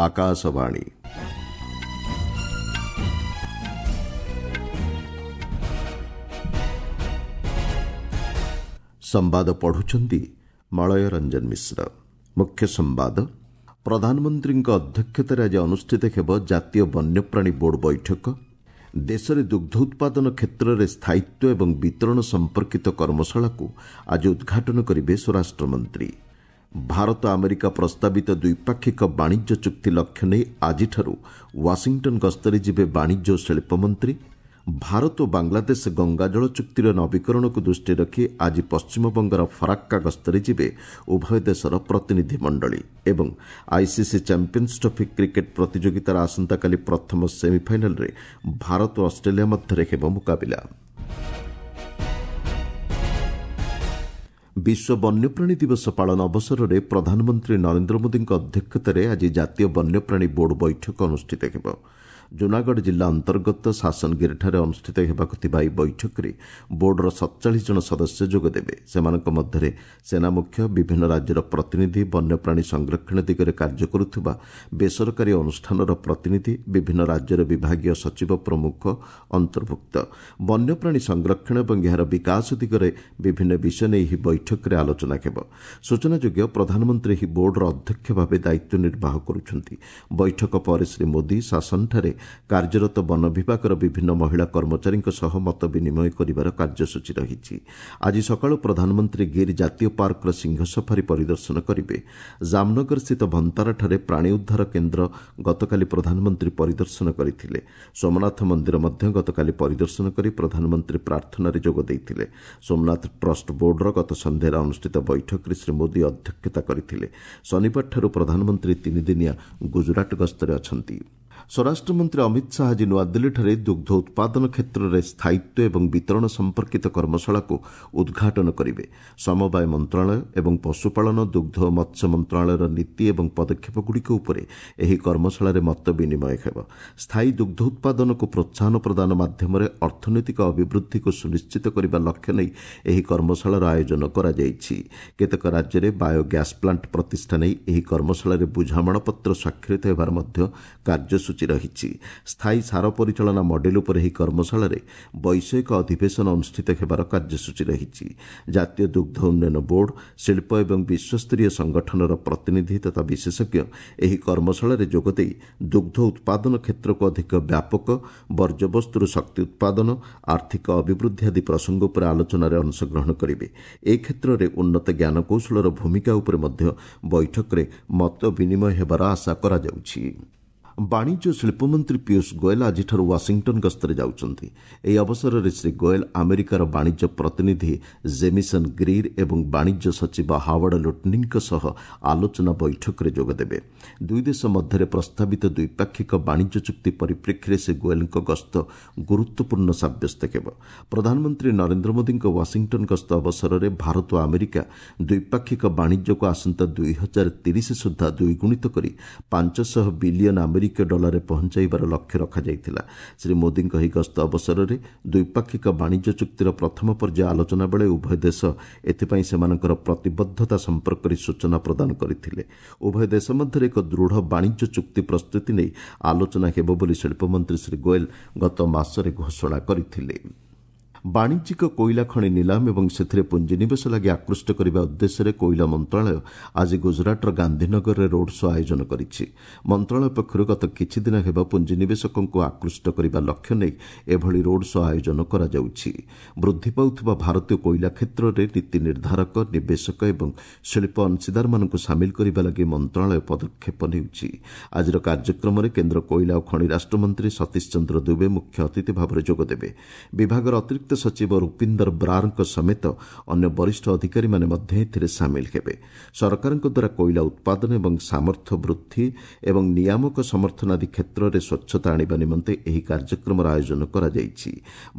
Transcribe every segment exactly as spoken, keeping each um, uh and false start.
ଆକାଶବାଣୀ। ସମ୍ବାଦ ପଢୁଛନ୍ତି ମଳୟ ରଞ୍ଜନ ମିଶ୍ର। ମୁଖ୍ୟ ସମ୍ବାଦ। ପ୍ରଧାନମନ୍ତ୍ରୀଙ୍କ ଅଧ୍ୟକ୍ଷତାରେ ଆଜି ଅନୁଷ୍ଠିତ ହେବ ଜାତୀୟ ବନ୍ୟପ୍ରାଣୀ ବୋର୍ଡ ବୈଠକ। ଦେଶରେ ଦୁଗ୍ଧ ଉତ୍ପାଦନ କ୍ଷେତ୍ରରେ ସ୍ଥାୟିତ୍ୱ ଏବଂ ବିତରଣ ସମ୍ପର୍କିତ କର୍ମଶାଳାକୁ ଆଜି ଉଦ୍ଘାଟନ କରିବେ ସ୍ୱରାଷ୍ଟ୍ରମନ୍ତ୍ରୀ। ଭାରତ ଆମେରିକା ପ୍ରସ୍ତାବିତ ଦ୍ୱିପାକ୍ଷିକ ବାଣିଜ୍ୟ ଚୁକ୍ତି ଲକ୍ଷ୍ୟ ନେଇ ଆଜିଠାରୁ ୱାଶିଂଟନ୍ ଗସ୍ତରେ ଯିବେ ବାଣିଜ୍ୟ ଓ ଶିଳ୍ପମନ୍ତ୍ରୀ। ଭାରତ ଓ ବାଂଲାଦେଶ ଗଙ୍ଗାଜଳ ଚୁକ୍ତିର ନବୀକରଣକୁ ଦୃଷ୍ଟିରେ ରଖି ଆଜି ପଶ୍ଚିମବଙ୍ଗର ଫରାକ୍କା ଗସ୍ତରେ ଯିବେ ଉଭୟ ଦେଶର ପ୍ରତିନିଧି ମଣ୍ଡଳୀ। ଏବଂ ଆଇସିସି ଚାମ୍ପିୟନ୍ସ ଟ୍ରଫି କ୍ରିକେଟ୍ ପ୍ରତିଯୋଗିତାର ଆସନ୍ତାକାଲି ପ୍ରଥମ ସେମିଫାଇନାଲ୍ରେ ଭାରତ ଓ ଅଷ୍ଟ୍ରେଲିଆ ମଧ୍ୟରେ ହେବ ମୁକାବିଲା। ବିଶ୍ୱ ବନ୍ୟପ୍ରାଣୀ ଦିବସ ପାଳନ ଅବସରରେ ପ୍ରଧାନମନ୍ତ୍ରୀ ନରେନ୍ଦ୍ର ମୋଦିଙ୍କ ଅଧ୍ୟକ୍ଷତାରେ ଆଜି ଜାତୀୟ ବନ୍ୟପ୍ରାଣୀ ବୋର୍ଡ ବୈଠକ ଅନୁଷ୍ଠିତ ହେବ। ଜୁନାଗଡ଼ ଜିଲ୍ଲା ଅନ୍ତର୍ଗତ ଶାସନଗିରିଠାରେ ଅନୁଷ୍ଠିତ ହେବାକୁ ଥିବା ଏହି ବୈଠକରେ ବୋର୍ଡର ସତଚାଳିଶ ଜଣ ସଦସ୍ୟ ଯୋଗଦେବେ। ସେମାନଙ୍କ ମଧ୍ୟରେ ସେନା ମୁଖ୍ୟ, ବିଭିନ୍ନ ରାଜ୍ୟର ପ୍ରତିନିଧି, ବନ୍ୟପ୍ରାଣୀ ସଂରକ୍ଷଣ ଦିଗରେ କାର୍ଯ୍ୟ କରୁଥିବା ବେସରକାରୀ ଅନୁଷ୍ଠାନର ପ୍ରତିନିଧି, ବିଭିନ୍ନ ରାଜ୍ୟର ବିଭାଗୀୟ ସଚିବ ପ୍ରମୁଖ ଅନ୍ତର୍ଭୁକ୍ତ। ବନ୍ୟପ୍ରାଣୀ ସଂରକ୍ଷଣ ଏବଂ ଏହାର ବିକାଶ ଦିଗରେ ବିଭିନ୍ନ ବିଷୟ ନେଇ ଏହି ବୈଠକରେ ଆଲୋଚନା ହେବ। ସୂଚନାଯୋଗ୍ୟ, ପ୍ରଧାନମନ୍ତ୍ରୀ ଏହି ବୋର୍ଡର ଅଧ୍ୟକ୍ଷ ଭାବେ ଦାୟିତ୍ୱ ନିର୍ବାହ କରୁଛନ୍ତି। ବୈଠକ ପରେ ଶ୍ରୀ ମୋଦି ଶାସନଠାରେ କାର୍ଯ୍ୟରତ ବନ ବିଭାଗର ବିଭିନ୍ନ ମହିଳା କର୍ମଚାରୀଙ୍କ ସହ ମତ ବିନିମୟ କରିବାର କାର୍ଯ୍ୟସୂଚୀ ରହିଛି। ଆଜି ସକାଳୁ ପ୍ରଧାନମନ୍ତ୍ରୀ ଗିର୍ ଜାତୀୟ ପାର୍କର ସିଂହ ସଫାରି ପରିଦର୍ଶନ କରିବେ। ଜାମନଗରସ୍ଥିତ ଭନ୍ତାରାଠାରେ ପ୍ରାଣୀ ଉଦ୍ଧାର କେନ୍ଦ୍ର ଗତକାଲି ପ୍ରଧାନମନ୍ତ୍ରୀ ପରିଦର୍ଶନ କରିଥିଲେ। ସୋମନାଥ ମନ୍ଦିର ମଧ୍ୟ ଗତକାଲି ପରିଦର୍ଶନ କରି ପ୍ରଧାନମନ୍ତ୍ରୀ ପ୍ରାର୍ଥନାରେ ଯୋଗ ଦେଇଥିଲେ। ସୋମନାଥ ଟ୍ରଷ୍ଟ ବୋର୍ଡର ଗତ ସନ୍ଧ୍ୟାରେ ଅନୁଷ୍ଠିତ ବୈଠକରେ ଶ୍ରୀ ମୋଦି ଅଧ୍ୟକ୍ଷତା କରିଥିଲେ। ଶନିବାରଠାରୁ ପ୍ରଧାନମନ୍ତ୍ରୀ ତିନିଦିନିଆ ଗୁଜରାଟ ଗସ୍ତରେ ଅଛନ୍ତି। ସ୍ୱରାଷ୍ଟ୍ରମନ୍ତ୍ରୀ ଅମିତ ଶାହା ଆଜି ନୂଆଦିଲ୍ଲୀଠାରେ ଦୁଗ୍ଧ ଉତ୍ପାଦନ କ୍ଷେତ୍ରରେ ସ୍ଥାୟିତ୍ୱ ଏବଂ ବିତରଣ ସମ୍ପର୍କିତ କର୍ମଶାଳାକୁ ଉଦ୍ଘାଟନ କରିବେ। ସମବାୟ ମନ୍ତ୍ରଣାଳୟ ଏବଂ ପଶୁପାଳନ, ଦୁଗ୍ଧ ଓ ମତ୍ସ୍ୟ ମନ୍ତ୍ରଣାଳୟର ନୀତି ଏବଂ ପଦକ୍ଷେପଗୁଡ଼ିକ ଉପରେ ଏହି କର୍ମଶାଳାରେ ମତ ବିନିମୟ ହେବ। ସ୍ଥାୟୀ ଦୁଗ୍ଧ ଉତ୍ପାଦନକୁ ପ୍ରୋତ୍ସାହନ ପ୍ରଦାନ ମାଧ୍ୟମରେ ଅର୍ଥନୈତିକ ଅଭିବୃଦ୍ଧିକୁ ସୁନିଶ୍ଚିତ କରିବା ଲକ୍ଷ୍ୟ ନେଇ ଏହି କର୍ମଶାଳାର ଆୟୋଜନ କରାଯାଇଛି। କେତେକ ରାଜ୍ୟରେ ବାୟୋ ଗ୍ୟାସ୍ ପ୍ଲାଣ୍ଟ ପ୍ରତିଷ୍ଠା ନେଇ ଏହି କର୍ମଶାଳାରେ ବୁଝାମଣାପତ୍ର ସ୍ୱାକ୍ଷରିତ ହେବାର ମଧ୍ୟ କାର୍ଯ୍ୟସୂଚୀ ରହିଛି। ସ୍ଥାୟୀ ସାର ପରିଚାଳନା ମଡେଲ ଉପରେ ଏହି କର୍ମଶାଳାରେ ବୈଷୟିକ ଅଧିବେଶନ ଅନୁଷ୍ଠିତ ହେବାର କାର୍ଯ୍ୟସୂଚୀ ରହିଛି। ଜାତୀୟ ଦୁଗ୍ଧ ଉନ୍ନୟନ ବୋର୍ଡ, ଶିଳ୍ପ ଏବଂ ବିଶ୍ୱସ୍ତରୀୟ ସଂଗଠନର ପ୍ରତିନିଧି ତଥା ବିଶେଷଜ୍ଞ ଏହି କର୍ମଶାଳାରେ ଯୋଗଦେଇ ଦୁଗ୍ଧ ଉତ୍ପାଦନ କ୍ଷେତ୍ରକୁ ଅଧିକ ବ୍ୟାପକ, ବର୍ଜ୍ୟବସ୍ତୁରୁ ଶକ୍ତି ଉତ୍ପାଦନ, ଆର୍ଥିକ ଅଭିବୃଦ୍ଧି ଆଦି ପ୍ରସଙ୍ଗ ଉପରେ ଆଲୋଚନାରେ ଅଂଶଗ୍ରହଣ କରିବେ। ଏ କ୍ଷେତ୍ରରେ ଉନ୍ନତ ଜ୍ଞାନକୌଶଳର ଭୂମିକା ଉପରେ ମଧ୍ୟ ବୈଠକରେ ମତ ବିନିମୟ ହେବାର ଆଶା କରାଯାଉଛି। ବାଣିଜ୍ୟ ଓ ଶିଳ୍ପମନ୍ତ୍ରୀ ପୀୟୁଷ ଗୋଏଲ ଆଜିଠାରୁ ୱାଶିଂଟନ୍ ଗସ୍ତରେ ଯାଉଛନ୍ତି। ଏହି ଅବସରରେ ଶ୍ରୀ ଗୋଏଲ ଆମେରିକାର ବାଣିଜ୍ୟ ପ୍ରତିନିଧି ଜେମିସନ୍ ଗ୍ରୀର୍ ଏବଂ ବାଣିଜ୍ୟ ସଚିବ ହାୱାର୍ଡ ଲୁଟନିଙ୍କ ସହ ଆଲୋଚନା ବୈଠକରେ ଯୋଗଦେବେ। ଦୁଇ ଦେଶ ମଧ୍ୟରେ ପ୍ରସ୍ତାବିତ ଦ୍ୱିପାକ୍ଷିକ ବାଣିଜ୍ୟ ଚୁକ୍ତି ପରିପ୍ରେକ୍ଷୀରେ ଶ୍ରୀ ଗୋଏଲଙ୍କ ଗସ୍ତ ଗୁରୁତ୍ୱପୂର୍ଣ୍ଣ ସାବ୍ୟସ୍ତ ହେବ। ପ୍ରଧାନମନ୍ତ୍ରୀ ନରେନ୍ଦ୍ର ମୋଦିଙ୍କ ୱାଶିଂଟନ୍ ଗସ୍ତ ଅବସରରେ ଭାରତ ଓ ଆମେରିକା ଦ୍ୱିପାକ୍ଷିକ ବାଣିଜ୍ୟକୁ ଆସନ୍ତା ଦୁଇ ହଜାର ତିରିଶ ସୁଦ୍ଧା ଦ୍ୱିଗୁଣିତ କରି ପାଞ୍ଚଶହ ବିଲିୟନ ଆମେରିକୀୟ ଡଲାରରେ ପହଞ୍ଚାଇବାର ଲକ୍ଷ୍ୟ ରଖାଯାଇଥିଲା। ଶ୍ରୀ ମୋଦିଙ୍କ ଏହି ଗସ୍ତ ଅବସରରେ ଦ୍ୱିପାକ୍ଷିକ ବାଣିଜ୍ୟ ଚୁକ୍ତିର ପ୍ରଥମ ପର୍ଯ୍ୟାୟ ଆଲୋଚନା ବେଳେ ଉଭୟ ଦେଶ ଏଥିପାଇଁ ସେମାନଙ୍କର ପ୍ରତିବଦ୍ଧତା ସମ୍ପର୍କରେ ସୂଚନା ପ୍ରଦାନ କରିଥିଲେ। ଉଭୟ ଦେଶ ମଧ୍ୟରେ ଏକ ଦୃଢ଼ ବାଣିଜ୍ୟ ଚୁକ୍ତି ପ୍ରସ୍ତୁତି ନେଇ ଆଲୋଚନା ହେବ ବୋଲି ଶିଳ୍ପମନ୍ତ୍ରୀ ଶ୍ରୀ ଗୋଏଲ ଗତ ମାସରେ ଘୋଷଣା କରିଥିଲେ। ବାଣିଜ୍ୟିକ କୋଇଲା ଖଣି ନିଲାମ ଏବଂ ସେଥିରେ ପୁଞ୍ଜିନିବେଶ ଲାଗି ଆକୃଷ୍ଟ କରିବା ଉଦ୍ଦେଶ୍ୟରେ କୋଇଲା ମନ୍ତ୍ରଣାଳୟ ଆଜି ଗୁଜରାଟର ଗାନ୍ଧୀନଗରରେ ରୋଡ୍ ଶୋ ଆୟୋଜନ କରିଛି। ମନ୍ତ୍ରଣାଳୟ ପକ୍ଷରୁ ଗତ କିଛିଦିନ ହେବ ପୁଞ୍ଜିନିବେଶକଙ୍କୁ ଆକୃଷ୍ଟ କରିବା ଲକ୍ଷ୍ୟ ନେଇ ଏଭଳି ରୋଡ୍ ଶୋ ଆୟୋଜନ କରାଯାଉଛି। ବୃଦ୍ଧି ପାଉଥିବା ଭାରତୀୟ କୋଇଲା କ୍ଷେତ୍ରରେ ନୀତି ନିର୍ଦ୍ଧାରକ, ନିବେଶକ ଏବଂ ଶିଳ୍ପ ଅଂଶୀଦାରମାନଙ୍କୁ ସାମିଲ କରିବା ଲାଗି ମନ୍ତ୍ରଣାଳୟ ପଦକ୍ଷେପ ନେଉଛି। ଆଜିର କାର୍ଯ୍ୟକ୍ରମରେ କେନ୍ଦ୍ର କୋଇଲା ଓ ଖଣି ରାଷ୍ଟ୍ରମନ୍ତ୍ରୀ ସତୀଶ ଚନ୍ଦ୍ର ଦୁବେ ମୁଖ୍ୟ ଅତିଥି ଭାବରେ ଯୋଗଦେବେ। ବିଭାଗର ଅତିରିକ୍ତ ସଚିବ ରୂପିନ୍ଦର ବ୍ରାରଙ୍କ ସମେତ ଅନ୍ୟ ବରିଷ୍ଠ ଅଧିକାରୀମାନେ ମଧ୍ୟ ଏଥିରେ ସାମିଲ ହେବେ। ସରକାରଙ୍କ ଦ୍ୱାରା କୋଇଲା ଉତ୍ପାଦନ ଏବଂ ସାମର୍ଥ୍ୟ ବୃଦ୍ଧି ଏବଂ ନିୟାମକ ସମର୍ଥନ ଆଦି କ୍ଷେତ୍ରରେ ସ୍ୱଚ୍ଛତା ଆଣିବା ନିମନ୍ତେ ଏହି କାର୍ଯ୍ୟକ୍ରମର ଆୟୋଜନ କରାଯାଇଛି।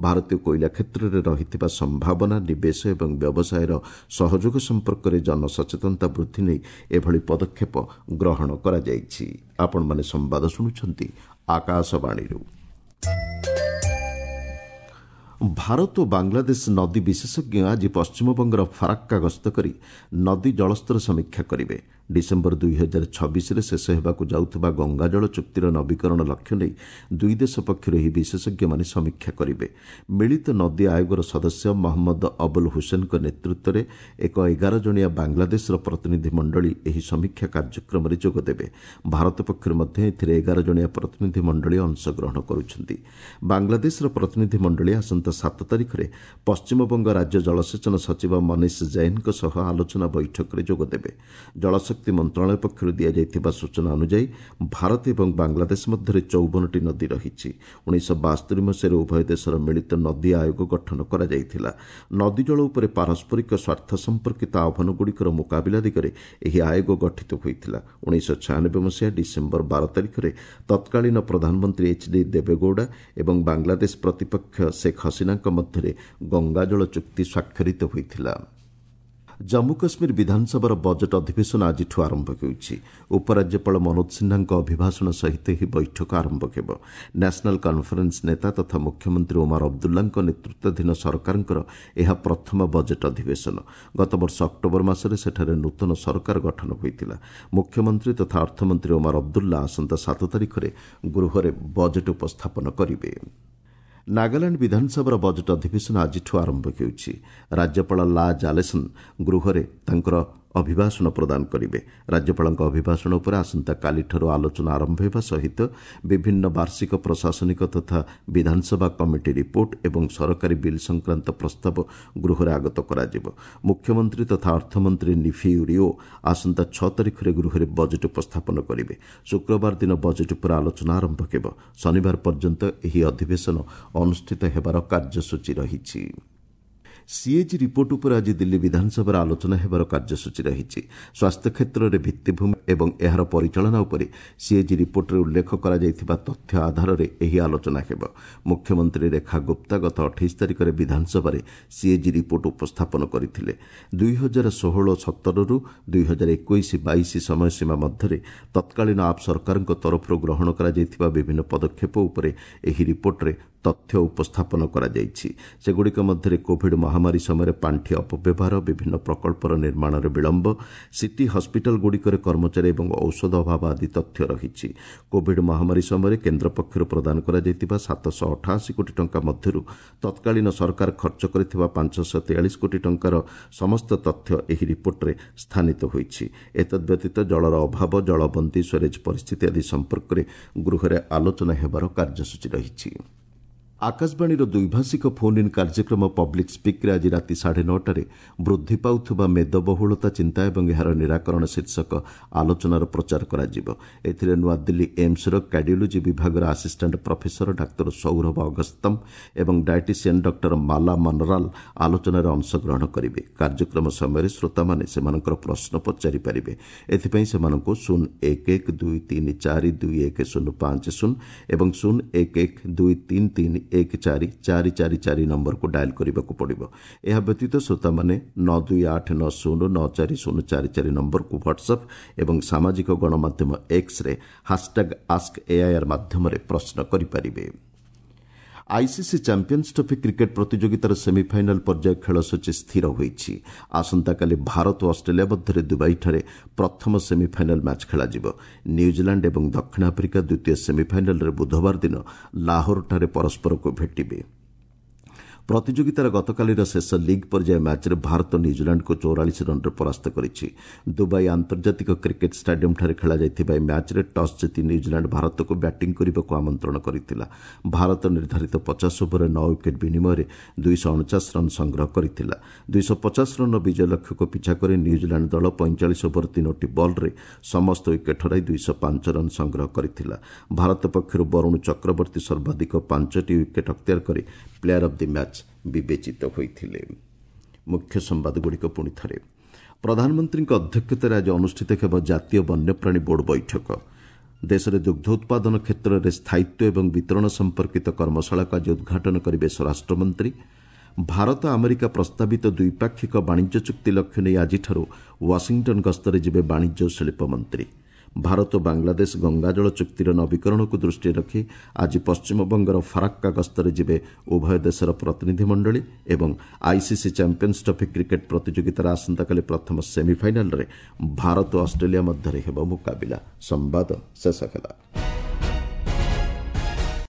ଭାରତୀୟ କୋଇଲା କ୍ଷେତ୍ରରେ ରହିଥିବା ସମ୍ଭାବନା, ନିବେଶ ଏବଂ ବ୍ୟବସାୟର ସହଯୋଗ ସମ୍ପର୍କରେ ଜନସଚେତନତା ବୃଦ୍ଧି ନେଇ ଏଭଳି ପଦକ୍ଷେପ ଗ୍ରହଣ କରାଯାଇଛି। ଆପଣମାନେ ସମ୍ବାଦ ଶୁଣୁଛନ୍ତି ଆକାଶବାଣୀରୁ। ଭାରତ ଓ ବାଂଲାଦେଶ ନଦୀ ବିଶେଷଜ୍ଞ ଆଜି ପଶ୍ଚିମବଙ୍ଗର ଫରାକ୍କା ଗସ୍ତ କରି ନଦୀ ଜଳସ୍ତର ସମୀକ୍ଷା କରିବେ। ଡିସେମ୍ବର ଦୁଇ ହଜାର ଛବିଶରେ ଶେଷ ହେବାକୁ ଯାଉଥିବା ଗଙ୍ଗାଜଳ ଚୁକ୍ତିର ନବୀକରଣ ଲକ୍ଷ୍ୟ ନେଇ ଦୁଇ ଦେଶ ପକ୍ଷରୁ ଏହି ବିଶେଷଜ୍ଞମାନେ ସମୀକ୍ଷା କରିବେ। ମିଳିତ ନଦୀ ଆୟୋଗର ସଦସ୍ୟ ମହମ୍ମଦ ଅବୁଲ ହୁସେନଙ୍କ ନେତୃତ୍ୱରେ ଏକ ଏଗାର ଜଣିଆ ବାଂଲାଦେଶର ପ୍ରତିନିଧି ମଣ୍ଡଳୀ ଏହି ସମୀକ୍ଷା କାର୍ଯ୍ୟକ୍ରମରେ ଯୋଗଦେବେ। ଭାରତ ପକ୍ଷରୁ ମଧ୍ୟ ଏଥିରେ ଏଗାର ଜଣିଆ ପ୍ରତିନିଧି ମଣ୍ଡଳୀ ଅଂଶଗ୍ରହଣ କରୁଛନ୍ତି। ବାଂଲାଦେଶର ପ୍ରତିନିଧି ମଣ୍ଡଳୀ ଆସନ୍ତା ସାତ ତାରିଖରେ ପଶ୍ଚିମବଙ୍ଗ ରାଜ୍ୟ ଜଳସେଚନ ସଚିବ ମନୀଷ ଜୈନଙ୍କ ସହ ଆଲୋଚନା ବୈଠକରେ ଯୋଗଦେବେ। ଜଳଶକ୍ତି ମନ୍ତ୍ରଣାଳୟ ପକ୍ଷରୁ ଦିଆଯାଇଥିବା ସୂଚନା ଅନୁଯାୟୀ ଭାରତ ଏବଂ ବାଂଲାଦେଶ ମଧ୍ୟରେ ଚଉବନଟି ନଦୀ ରହିଛି। ଉଣେଇଶହ ବାସ୍ତରି ମସିହାରେ ଉଭୟ ଦେଶର ମିଳିତ ନଦୀ ଆୟୋଗ ଗଠନ କରାଯାଇଥିଲା। ନଦୀ ଜଳ ଉପରେ ପାରସ୍ପରିକ ସ୍ୱାର୍ଥ ସମ୍ପର୍କିତ ଆହ୍ୱାନଗୁଡ଼ିକର ମୁକାବିଲା ଦିଗରେ ଏହି ଆୟୋଗ ଗଠିତ ହୋଇଥିଲା। ଉଣେଇଶହ ଛୟାନବେ ମସିହା ଡିସେମ୍ବର ବାର ତାରିଖରେ ତତ୍କାଳୀନ ପ୍ରଧାନମନ୍ତ୍ରୀ ଏଚ୍ ଡି ଦେବେଗୌଡ଼ା ଏବଂ ବାଂଲାଦେଶ ପ୍ରତିପକ୍ଷ ଶେଖ୍ ହସିନାଙ୍କ ମଧ୍ୟରେ ଗଙ୍ଗାଜଳ ଚୁକ୍ତି ସ୍ୱାକ୍ଷରିତ ହୋଇଥିଲା। ଜମ୍ମୁ କାଶ୍ମୀର ବିଧାନସଭାର ବଜେଟ୍ ଅଧିବେଶନ ଆଜିଠୁ ଆରମ୍ଭ ହେଉଛି। ଉପରାଜ୍ୟପାଳ ମନୋଜ ସିହ୍ନାଙ୍କ ଅଭିଭାଷଣ ସହିତ ଏହି ବୈଠକ ଆରମ୍ଭ ହେବ। ନ୍ୟାସନାଲ୍ କନ୍ଫରେନ୍ସ ନେତା ତଥା ମୁଖ୍ୟମନ୍ତ୍ରୀ ଓମାର ଅବଦୁଲ୍ଲାଙ୍କ ନେତୃତ୍ୱାଧୀନ ସରକାରଙ୍କର ଏହା ପ୍ରଥମ ବଜେଟ୍ ଅଧିବେଶନ। ଗତବର୍ଷ ଅକ୍ଟୋବର ମାସରେ ସେଠାରେ ନୂତନ ସରକାର ଗଠନ ହୋଇଥିଲା। ମୁଖ୍ୟମନ୍ତ୍ରୀ ତଥା ଅର୍ଥମନ୍ତ୍ରୀ ଓମାର ଅବଦୁଲ୍ଲା ଆସନ୍ତା ସାତ ତାରିଖରେ ଗୃହରେ ବଜେଟ୍ ଉପସ୍ଥାପନ କରିବେ। ନାଗାଲାଣ୍ଡ ବିଧାନସଭାର ବଜେଟ୍ ଅଧିବେଶନ ଆଜିଠୁ ଆରମ୍ଭ ହେଉଛି। ରାଜ୍ୟପାଳ ଲା ଜାଲେସନ୍ ଗୃହରେ ତାଙ୍କର ଅଭିଭାଷଣ ପ୍ରଦାନ କରିବେ। ରାଜ୍ୟପାଳଙ୍କ ଅଭିଭାଷଣ ଉପରେ ଆସନ୍ତାକାଲିଠାରୁ ଆଲୋଚନା ଆରମ୍ଭ ହେବା ସହିତ ବିଭିନ୍ନ ବାର୍ଷିକ ପ୍ରଶାସନିକ ତଥା ବିଧାନସଭା କମିଟି ରିପୋର୍ଟ ଏବଂ ସରକାରୀ ବିଲ୍ ସଂକ୍ରାନ୍ତ ପ୍ରସ୍ତାବ ଗୃହରେ ଆଗତ କରାଯିବ। ମୁଖ୍ୟମନ୍ତ୍ରୀ ତଥା ଅର୍ଥମନ୍ତ୍ରୀ ନିଫିୟୁ ରିଓ ଆସନ୍ତା ଛଅ ତାରିଖରେ ଗୃହରେ ବଜେଟ୍ ଉପସ୍ଥାପନ କରିବେ। ଶୁକ୍ରବାର ଦିନ ବଜେଟ୍ ଉପରେ ଆଲୋଚନା ଆରମ୍ଭ ହେବ। ଶନିବାର ପର୍ଯ୍ୟନ୍ତ ଏହି ଅଧିବେଶନ ଅନୁଷ୍ଠିତ ହେବାର କାର୍ଯ୍ୟସୂଚୀ ରହିଛି। ସିଏଜି ରିପୋର୍ଟ ଉପରେ ଆଜି ଦିଲ୍ଲୀ ବିଧାନସଭାରେ ଆଲୋଚନା ହେବାର କାର୍ଯ୍ୟସୂଚୀ ରହିଛି। ସ୍ୱାସ୍ଥ୍ୟ କ୍ଷେତ୍ରରେ ଭିତ୍ତିଭୂମି ଏବଂ ଏହାର ପରିଚାଳନା ଉପରେ ସିଏଜି ରିପୋର୍ଟରେ ଉଲ୍ଲେଖ କରାଯାଇଥିବା ତଥ୍ୟ ଆଧାରରେ ଏହି ଆଲୋଚନା ହେବ। ମୁଖ୍ୟମନ୍ତ୍ରୀ ରେଖା ଗୁପ୍ତା ଗତ ଅଠେଇଶ ତାରିଖରେ ବିଧାନସଭାରେ ସିଏଜି ରିପୋର୍ଟ ଉପସ୍ଥାପନ କରିଥିଲେ। ଦୁଇ ହଜାର ଷୋହଳ ସତରରୁ ଦୁଇ ହଜାର ଏକୋଇଶ ବାଇଶ ସମୟସୀମା ମଧ୍ୟରେ ତତ୍କାଳୀନ ଆପ୍ ସରକାରଙ୍କ ତରଫରୁ ଗ୍ରହଣ କରାଯାଇଥିବା ବିଭିନ୍ନ ପଦକ୍ଷେପ ଉପରେ ଏହି ରିପୋର୍ଟରେ ତଥ୍ୟ ଉପସ୍ଥାପନ କରାଯାଇଛି। ସେଗୁଡ଼ିକ ମଧ୍ୟରେ କୋଭିଡ୍ ମହାମାରୀ ସମୟରେ ପାଣ୍ଠି ଅପବ୍ୟବହାର, ବିଭିନ୍ନ ପ୍ରକଳ୍ପର ନିର୍ମାଣରେ ବିଳମ୍ବ, ସିଟି ହସ୍ପିଟାଲଗୁଡ଼ିକରେ କର୍ମଚାରୀ ଏବଂ ଔଷଧ ଅଭାବ ଆଦି ତଥ୍ୟ ରହିଛି। କୋଭିଡ୍ ମହାମାରୀ ସମୟରେ କେନ୍ଦ୍ର ପକ୍ଷରୁ ପ୍ରଦାନ କରାଯାଇଥିବା ସାତଶହ ଅଠାଅଶୀ କୋଟି ଟଙ୍କା ମଧ୍ୟରୁ ତତ୍କାଳୀନ ସରକାର ଖର୍ଚ୍ଚ କରିଥିବା ପାଞ୍ଚଶହ ତେୟାଳିଶ କୋଟି ଟଙ୍କାର ସମସ୍ତ ତଥ୍ୟ ଏହି ରିପୋର୍ଟରେ ସ୍ଥାନିତ ହୋଇଛି। ଏତଦ୍ବ୍ୟତୀତ ଜଳର ଅଭାବ, ଜଳବନ୍ଦୀ, ସ୍ୱେରେଜ୍ ପରିସ୍ଥିତି ଆଦି ସମ୍ପର୍କରେ ଗୃହରେ ଆଲୋଚନା ହେବାର କାର୍ଯ୍ୟସୂଚୀ ରହିଛି। ଆକାଶବାଣୀର ଦ୍ୱିଭାଷିକ ଫୋନ୍ ଇନ୍ କାର୍ଯ୍ୟକ୍ରମ ପବ୍ଲିକ୍ ସ୍ପିକ୍ରେ ଆଜି ରାତି ସାଢ଼େ ନଅଟାରେ ବୃଦ୍ଧି ପାଉଥିବା ମେଦବହୁଳତା ଚିନ୍ତା ଏବଂ ଏହାର ନିରାକରଣ ଶୀର୍ଷକ ଆଲୋଚନାର ପ୍ରଚାର କରାଯିବ। ଏଥିରେ ନୂଆଦିଲ୍ଲୀ ଏମ୍ସର କାର୍ଡିଓଲୋଜି ବିଭାଗର ଆସିଷ୍ଟାଣ୍ଟ ପ୍ରଫେସର ଡାକ୍ତର ସୌରଭ ଅଗସ୍ତମ ଏବଂ ଡାଏଟିସିଆନ୍ ଡକ୍ଟର ମାଲା ମନରାଲ ଆଲୋଚନାରେ ଅଂଶଗ୍ରହଣ କରିବେ। କାର୍ଯ୍ୟକ୍ରମ ସମୟରେ ଶ୍ରୋତାମାନେ ସେମାନଙ୍କର ପ୍ରଶ୍ନ ପଚାରିପାରିବେ। ଏଥିପାଇଁ ସେମାନଙ୍କୁ ଶୂନ ଏକ ଏକ ଦୁଇ ତିନି ଚାରି ଦୁଇ ଏକ ଶୂନ ପାଞ୍ଚ ଶୂନ ଏବଂ ଶୂନ ଏକ ଏକ ଦୁଇ ତିନି ତିନି ଏକ ଚାରି ଚାରି ଚାରି ଚାରି ନମ୍ବରକୁ ଡାଏଲ୍ କରିବାକୁ ପଡ଼ିବ। ଏହା ବ୍ୟତୀତ ଶ୍ରୋତାମାନେ ନଅ ଦୁଇ ଆଠ ନଅ ଶୂନ ନଅ ଚାରି ଶୂନ ଚାରି ଚାରି ନମ୍ବରକୁ ହ୍ୱାଟ୍ସଆପ୍ ଏବଂ ସାମାଜିକ ଗଣମାଧ୍ୟମ ଏକ୍ସରେ ହାସ୍ଟ୍ୟାଗ୍ ଆସ୍କ ଏଆଇଆର୍ ମାଧ୍ୟମରେ ପ୍ରଶ୍ନ କରିପାରିବେ। ଆଇସିସି ଚାମ୍ପିୟନ୍ସ ଟ୍ରଫି କ୍ରିକେଟ୍ ପ୍ରତିଯୋଗିତାର ସେମିଫାଇନାଲ୍ ପର୍ଯ୍ୟାୟ ଖେଳସୂଚୀ ସ୍ଥିର ହୋଇଛି। ଆସନ୍ତାକାଲି ଭାରତ ଓ ଅଷ୍ଟ୍ରେଲିଆ ମଧ୍ୟରେ ଦୁବାଇଠାରେ ପ୍ରଥମ ସେମିଫାଇନାଲ୍ ମ୍ୟାଚ୍ ଖେଳାଯିବ। ନ୍ୟୁଜିଲାଣ୍ଡ ଏବଂ ଦକ୍ଷିଣ ଆଫ୍ରିକା ଦ୍ୱିତୀୟ ସେମିଫାଇନାଲ୍ରେ ବୁଧବାର ଦିନ ଲାହୋରଠାରେ ପରସ୍ପରକୁ ଭେଟିବେ। ପ୍ରତିଯୋଗିତାର ଗତକାଲିର ଶେଷ ଲିଗ୍ ପର୍ଯ୍ୟାୟ ମ୍ୟାଚ୍ରେ ଭାରତ ନ୍ୟୁଜିଲାଣ୍ଡକୁ ଚଉରାଳିଶ ରନ୍ରେ ପରାସ୍ତ କରିଛି। ଦୁବାଇ ଆନ୍ତର୍ଜାତିକ କ୍ରିକେଟ୍ ଷ୍ଟାଡିୟମ୍ଠାରେ ଖେଳାଯାଇଥିବା ଏହି ମ୍ୟାଚ୍ରେ ଟସ୍ ଜିତି ନ୍ୟୁଜିଲାଣ୍ଡ ଭାରତକୁ ବ୍ୟାଟିଂ କରିବାକୁ ଆମନ୍ତ୍ରଣ କରିଥିଲା। ଭାରତ ନିର୍ଦ୍ଧାରିତ ପଚାଶ ଓଭରରେ ନଅ ୱିକେଟ୍ ବିନିମୟରେ ଦୁଇଶହ ଅଣଚାଶ ରନ୍ ସଂଗ୍ରହ କରିଥିଲା। ଦୁଇଶହ ପଚାଶ ରନ୍ର ବିଜୟ ଲକ୍ଷ୍ୟକୁ ପିଛା କରି ନ୍ୟୁଜିଲାଣ୍ଡ ଦଳ ପଇଁଚାଳିଶ ଓଭର ତିନୋଟି ବଲ୍ରେ ସମସ୍ତ ୱିକେଟ୍ ହରାଇ ଦୁଇଶହ ପାଞ୍ଚ ରନ୍ ସଂଗ୍ରହ କରିଥିଲା। ଭାରତ ପକ୍ଷରୁ ବରୁଣ ଚକ୍ରବର୍ତ୍ତୀ ସର୍ବାଧିକ ପାଞ୍ଚଟି ୱିକେଟ୍ ଅକ୍ତିଆର କରି ପ୍ଲେୟାର ଅଫ୍ the match ବିବେଚିତ ହୋଇଥିଲେ। ମୁଖ୍ୟ ସମ୍ବାଦଗୁଡ଼ିକ ପୁଣି ଥରେ। ପ୍ରଧାନମନ୍ତ୍ରୀଙ୍କ ଅଧ୍ୟକ୍ଷତାରେ ଆଜି ଅନୁଷ୍ଠିତ ହେବ ଜାତୀୟ ବନ୍ୟପ୍ରାଣୀ ବୋର୍ଡ ବୈଠକ। ଦେଶରେ ଦୁଗ୍ଧ ଉତ୍ପାଦନ କ୍ଷେତ୍ରରେ ସ୍ଥାୟିତ୍ୱ ଏବଂ ବିତରଣ ସମ୍ପର୍କିତ କର୍ମଶାଳାକୁ ଆଜି ଉଦ୍ଘାଟନ କରିବେ ସ୍ୱରାଷ୍ଟ୍ରମନ୍ତ୍ରୀ। ଭାରତ ଆମେରିକା ପ୍ରସ୍ତାବିତ ଦ୍ୱିପାକ୍ଷିକ ବାଣିଜ୍ୟ ଚୁକ୍ତି ଲକ୍ଷ୍ୟ ନେଇ ଆଜିଠାରୁ ୱାଶିଂଟନ୍ ଗସ୍ତରେ ଯିବେ ବାଣିଜ୍ୟ ଓ ଶିଳ୍ପ ମନ୍ତ୍ରୀ। ଭାରତ ବାଂଲାଦେଶ ଗଙ୍ଗାଜଳ ଚୁକ୍ତିର ନବୀକରଣକୁ ଦୃଷ୍ଟିରେ ରଖି ଆଜି ପଶ୍ଚିମବଙ୍ଗର ଫରାକ୍କା ଗସ୍ତରେ ଯିବେ ଉଭୟ ଦେଶର ପ୍ରତିନିଧିମଣ୍ଡଳୀ ଏବଂ ଆଇସିସି ଚାମ୍ପିୟନ୍ସ ଟ୍ରଫି କ୍ରିକେଟ୍ ପ୍ରତିଯୋଗିତାର ଆସନ୍ତାକାଲି ପ୍ରଥମ ସେମିଫାଇନାଲ୍ରେ ଭାରତ ଓ ଅଷ୍ଟ୍ରେଲିଆ ମଧ୍ୟରେ ହେବ ମୁକାବିଲା। ସମ୍ବାଦ ଶେଷ ହେଲା।